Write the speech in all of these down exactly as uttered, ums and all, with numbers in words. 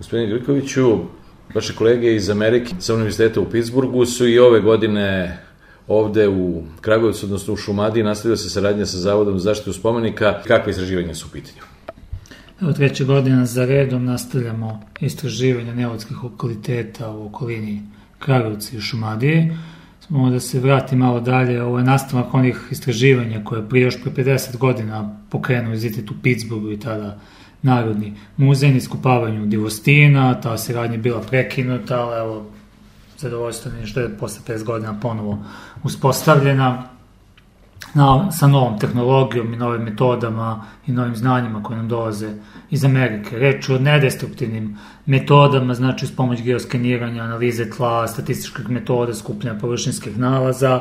Gospodine Grkoviću, vaše kolege iz Amerike sa univerziteta u Pittsburghu su i ove godine ovde u Kragujevcu, odnosno u Šumadiji, nastavila se saradnja sa Zavodom za zaštitu spomenika. Kakve istraživanja su u pitanju? Evo, treća godina za redom nastavljamo istraživanje neolitskih lokaliteta u okolini Kragujevca i Šumadije. Samo da se vrati malo dalje, ovo je nastavak onih istraživanja koje prije još pre pedeset godina pokrenuo univerzitet u Pittsburghu i tada Narodni muzej na iskopavanju Divostina. Ta saradnja je bila prekinuta, ali evo, zadovoljstvo mi je što je posle pedeset godina ponovo uspostavljena na, sa novom tehnologijom i novim metodama i novim znanjima koje nam dolaze iz Amerike. Reč je o nedestruktivnim metodama, znači uz pomoć geoskeniranja, analize tla, statističkih metoda, skupljanja površinskih nalaza.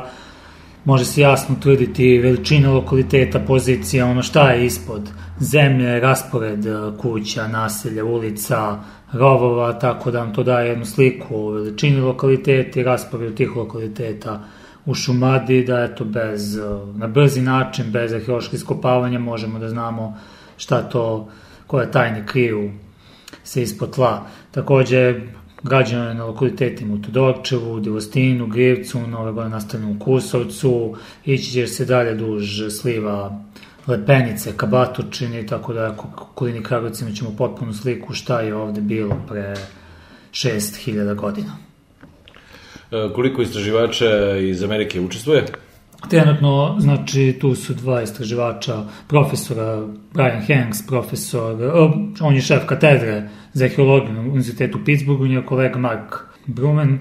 Može se jasno utvrditi veličina lokaliteta, pozicija, ono šta je ispod zemlje, raspored kuća, naselja, ulica, rovova, tako da nam to daje jednu sliku o veličini lokaliteta i rasporedu tih lokaliteta u Šumadiji, da eto bez, na brzi način, bez arheoloških iskopavanja možemo da znamo šta to, koje tajne kriju se ispod tla. Takođe, građeno je na lokalitetima u Todorčevu, Divostinu, Grivcu, nove godine nastavljeno u Kusovcu, ići će se dalje duž sliva Lepenice, ka Batočini, tako da u okolini Kragujevca ćemo potpunu sliku šta je ovde bilo pre šest hiljada godina. Koliko istraživača iz Amerike učestvuje? Trenutno, znači, tu su dva istraživača, profesora Brian Hanks, profesor, on je šef katedre za arheologiju na univerzitetu u Pittsburghu, njegov kolega Mark Bruman,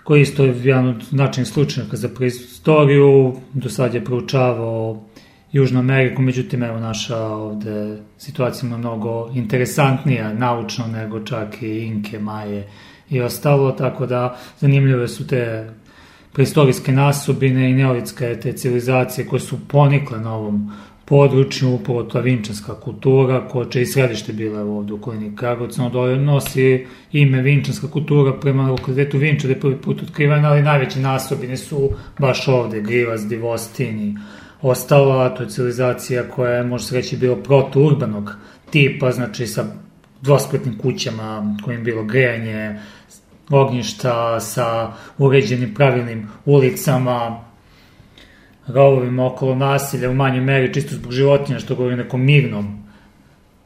koji isto je jedan od značajnih slučajnika za preistoriju, do sad je proučavao Južnu Ameriku, međutim, evo, naša ovde situacija je mnogo interesantnija naučno nego čak i Inke, Maje i ostalo, tako da zanimljive su te preistorijske nasobine i neolitske te civilizacije koje su ponikle na ovom području, upravo ta vinčanska kultura, koja će i središte bila ovde u okolini Kragujevca, nosi ime vinčanska kultura prema lokalitetu Vinča, da je prvi put otkrivena, ali najveće nasobine su baš ovde, Grivac, Divostin i ostalo, a to je civilizacija koja je, može se reći, bilo protourbanog tipa, znači sa dvospratnim kućama kojim je bilo grejanje, ognjišta sa uređenim pravilnim ulicama, rovovima okolo nasilja u manjoj meri, čisto zbog životinja, što govori o nekom mirnom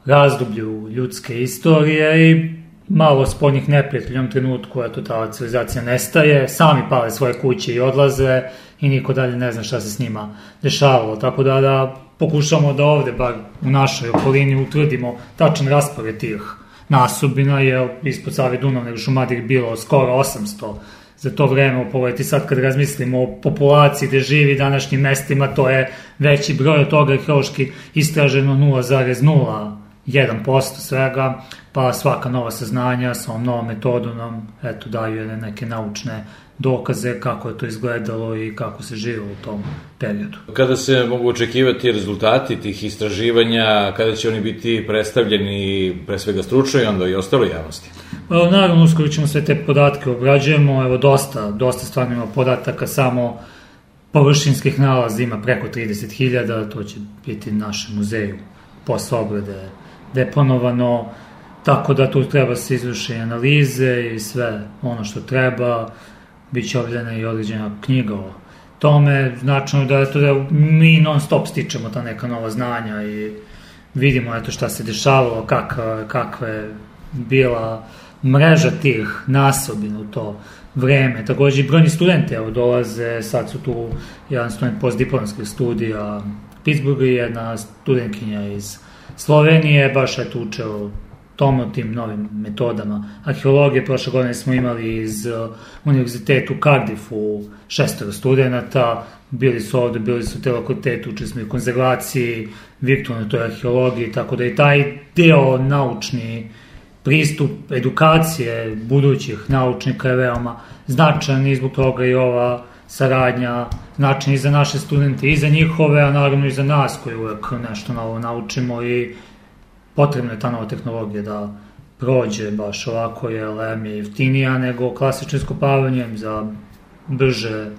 razdoblju ljudske istorije i malo spoljnih neprijatelja u jednom trenutku, eto, ta civilizacija nestaje, sami pale svoje kuće i odlaze i niko dalje ne zna šta se s njima dešavalo, tako da, da pokušamo da ovde, bar u našoj okolini, utvrdimo tačan raspored tih nasobina, jer ispod Save Dunav nego Šumadije bilo skoro osamsto za to vreme. Pogledajte sad kad razmislimo o populaciji gde živi današnjim mestima, to je veći broj od toga arheološki istraženo nula zarez nula jedan posto svega, pa svaka nova saznanja sa ovom novom metodom nam, eto, daju neke naučne dokaze kako je to izgledalo i kako se živelo u tom periodu. Kada se mogu očekivati rezultati tih istraživanja, kada će oni biti predstavljeni pre svega stručno i onda i ostalo javnosti? Naravno, uskoro ćemo sve te podatke obrađujemo, evo dosta, dosta stvarno ima podataka, samo površinskih nalaza ima preko trideset hiljada, to će biti u našem muzeju posle obrade deponovano, tako da tu treba se izvrši analize i sve ono što treba. Biće objavljena i određena knjiga o tome, značajno da, eto, da mi non stop stičemo ta neka nova znanja i vidimo, eto, šta se dešavalo, kakva, kakva je bila mreža tih nasobina u to vreme. Takođe i brojni studenti, evo, dolaze, sad su tu jedan student postdiplomskih studija Pittsburghu i jedna studentkinja iz Slovenije, baš je tu učeo tom o tim novim metodama arheologije. Prošle godine smo imali iz uh, univerzitetu u Cardiffu šestoro studenta, bili su ovde, bili su u te lokalitete, učili smo i konzervaciji, virtualnoj toj arheologiji, tako da i taj deo naučni pristup edukacije budućih naučnika je veoma značajan i zbog toga i ova saradnja značajna i za naše studente i za njihove, a naravno i za nas koji uvek nešto novo naučimo i potrebna je ta nova tehnologija da prođe baš ovako, jer em je jeftinija nego klasično iskopavanjem, za brže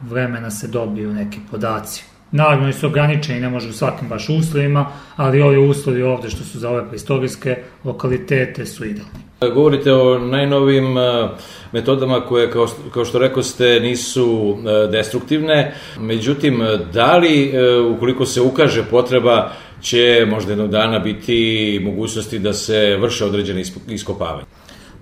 vremena se dobiju neki podaci. Naravno, su ograničeni, ne može u svakim baš uslovima, ali ovi uslovi ovde što su za ove preistorijske lokalitete su idealni. Govorite o najnovim metodama koje, kao, kao što rekao ste, nisu destruktivne. Međutim, da li, ukoliko se ukaže potreba, će možda jednog dana biti mogućnosti da se vrše određene iskopavanje?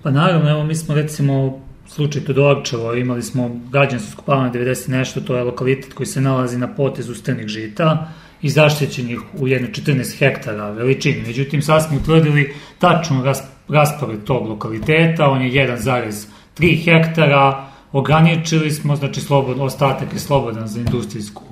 Pa naravno, evo mi smo recimo slučaj Todorčevo, imali smo građansko iskopavanje devedeset nešto, to je lokalitet koji se nalazi na potezu strnih žita i zaštićenih u jedno četrnaest hektara veličini. Međutim, sad smo utvrdili tačno raspored tog lokaliteta, on je jedan zarez tri hektara, ograničili smo, znači slobod, ostatak je slobodan za industrijsku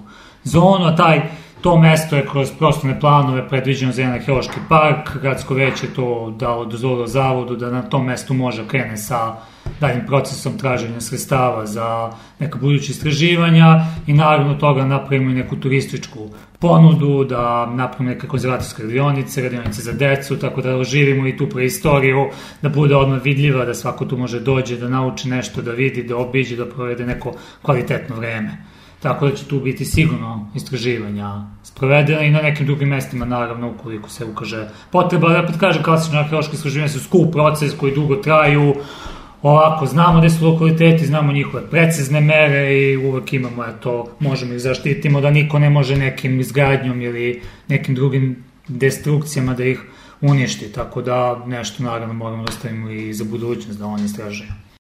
zonu, a taj to mesto je kroz prostorne planove predviđeno za jedan arheološki park, gradsko veće to dalo dozvolilo zavodu da na tom mestu može krene sa daljim procesom traženja sredstava za neka buduća istraživanja i naravno toga napravimo i neku turističku ponudu, da napravimo neke konzervatorske radionice, radionice za decu, tako da oživimo i tu preistoriju, da bude odmah vidljiva, da svako tu može dođe, da nauči nešto, da vidi, da obiđe, da provede neko kvalitetno vreme. Tako da će tu biti sigurno istraživanja sprovedena i na nekim drugim mestima, naravno, ukoliko se ukaže potreba. Da opet kažem, klasično arheološke istraživanja su skup proces koji dugo traju. Ovako, znamo gde su lokaliteti, znamo njihove precizne mere i uvek imamo, eto, možemo ih zaštitimo da niko ne može nekim izgradnjom ili nekim drugim destrukcijama da ih uništi. Tako da nešto, naravno, moramo da ostavimo i za budućnost da oni istražuju.